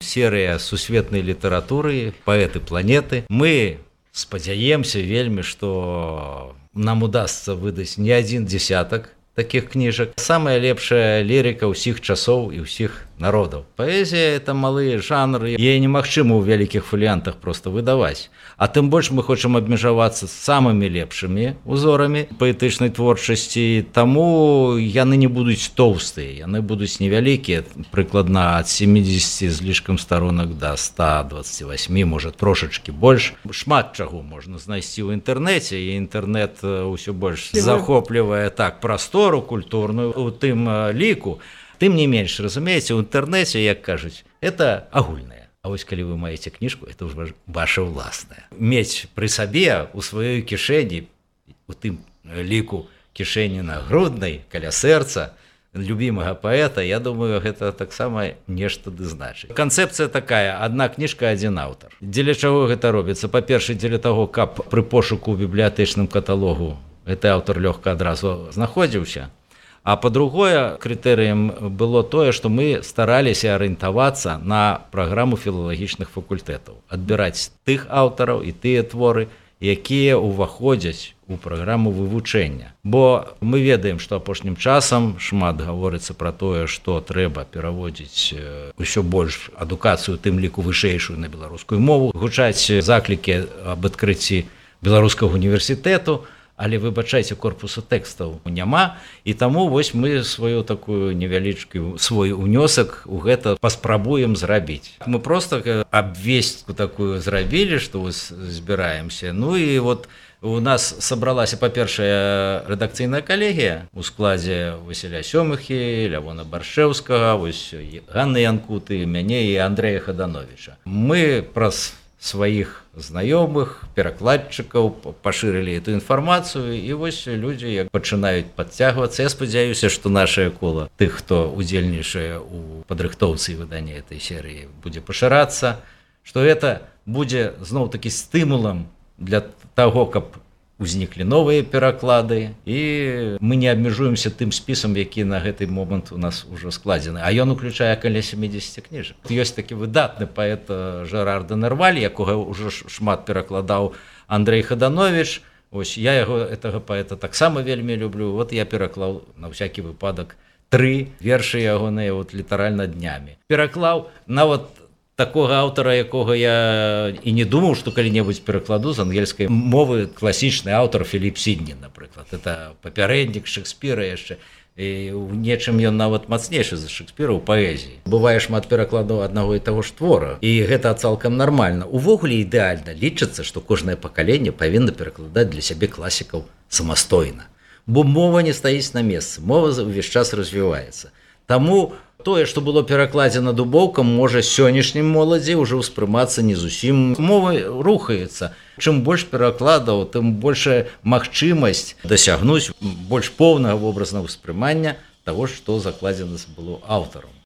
серыя сусветнай літаратуры, паэты планеты. Мы спадзяемся вельмі, што нам удасца выдаць не адзін дзесятак таких кніжак. Самая лепшая лірыка ўсіх часоў і ўсіх народаў. Паэзія – это малы жанр, яе немагчыма ў вялікіх фаліянтах проста выдаваць. А тым больш мы хочам абмежавацца з самымі лепшымі узорамі паэтычнай творчасці, таму яны не будуць тоўстыя, яны будуць невялікія, прыкладна ад 70 з лішкам старонак да 128, можа трошачкі больш. Шмат чаго можна знайсці ў інтэрнэце, і інтэрнэт ўсё больш захоплівае так прастору культурную у тым ліку. Тым не менш, разумееце, у інтэрнэце, як кажуць, это агульнае. А вось калі вы маеце кніжку, это ўжо ваша ўласная. Мець пры сабе у сваёй кішэні, у тым ліку кішэні нагруднай, каля сэрца любімага паэта, я думаю, гэта таксама нешта ды значыць. Канцэпцыя такая: адна кніжка, адзін аўтар. Дзеля чаго гэта робіцца? Па-першае, дзеля таго, каб пры пошуку ў бібліятэчным каталогу гэты аўтар лёгка адразу знаходзіўся. А па-другое, крытэрыем было тое, што мы стараліся арыентавацца на праграму філалагічных факультэтаў, адбіраць тых аўтараў і тыя творы, якія ўваходзяць у праграму вывучэння. Бо мы ведаем, што апошнім часам шмат гаворыцца пра тое, што трэба пераводзіць ўсё больш адукацыю, тым ліку вышэйшую, на беларускую мову, гучаць заклікі аб адкрыцці беларускага універсітэту, але, выбачайце, корпусу тэкстаў няма, і таму вось мы сваю такую невялічкі свой унёсак у гэта паспрабуем зрабіць. Мы проста абвестку такую зрабілі, што збіраемся. Ну і вот у нас сабралася, па-першае, рэдакцыйная калегія у складзе Васіля Сёмыхі, Лявона Баршэўскага, вось Ганны Янкуты, мяне і Андрэя Хадановіча. Мы праз сваіх знаёмых, перакладчыкаў пашырылі эту інфармацыю, і вось людзі як пачынаюць падцягвацца. Я спадзяюся, што нашае кола тых, хто удзельнічае ў падрыхтоўцы і выданні этой серыі, будзе пашырацца, што гэта будзе зноў-такі стымулам для таго, каб узніклі новыя пераклады, і мы не абмежуемся тым спісам, які на гэты момант у нас ужо складзены. А ён уключае каля 70 кніжак. Ёсць такі выдатны паэт Жерар де Нерваль, якога ўжо шмат перакладаў Андрэй Хадановіч. Ось я яго, гэтага паэта, таксама вельмі люблю. Вот я пераклаў на всякі выпадак 3 вершы ягоныя літаральна днямі. Пераклаў нават такога аўтара, якога я і не думаў, што калі-небудзь перакладу з ангельскай мовы, класічны аўтар Філіп Сідні, напрыклад. Это папярэднік Шекспіра яшчэ. І ў нечым ён нават мацнейшы за Шекспіра ў паэзіі. Бывае шмат перакладаў аднаго і таго ж твора, і гэта цалкам нармальна. Увогуле ідэальна лічыцца, што кожнае пакаленне павінна перакладаць для сябе класікаў самастойна. Бо мова не стаіць на месцы, мова ўвесь час развіваецца. Таму тое, што было перакладзена дубоўкам, можа сённяшнім моладзі ўжо ўспрымацца не зусім. Мова рухаецца. Чым больш перакладаў, тым большая магчымасць дасягнуць больш поўнага вобразнага ўспрымання таго, што закладзена было аўтарам.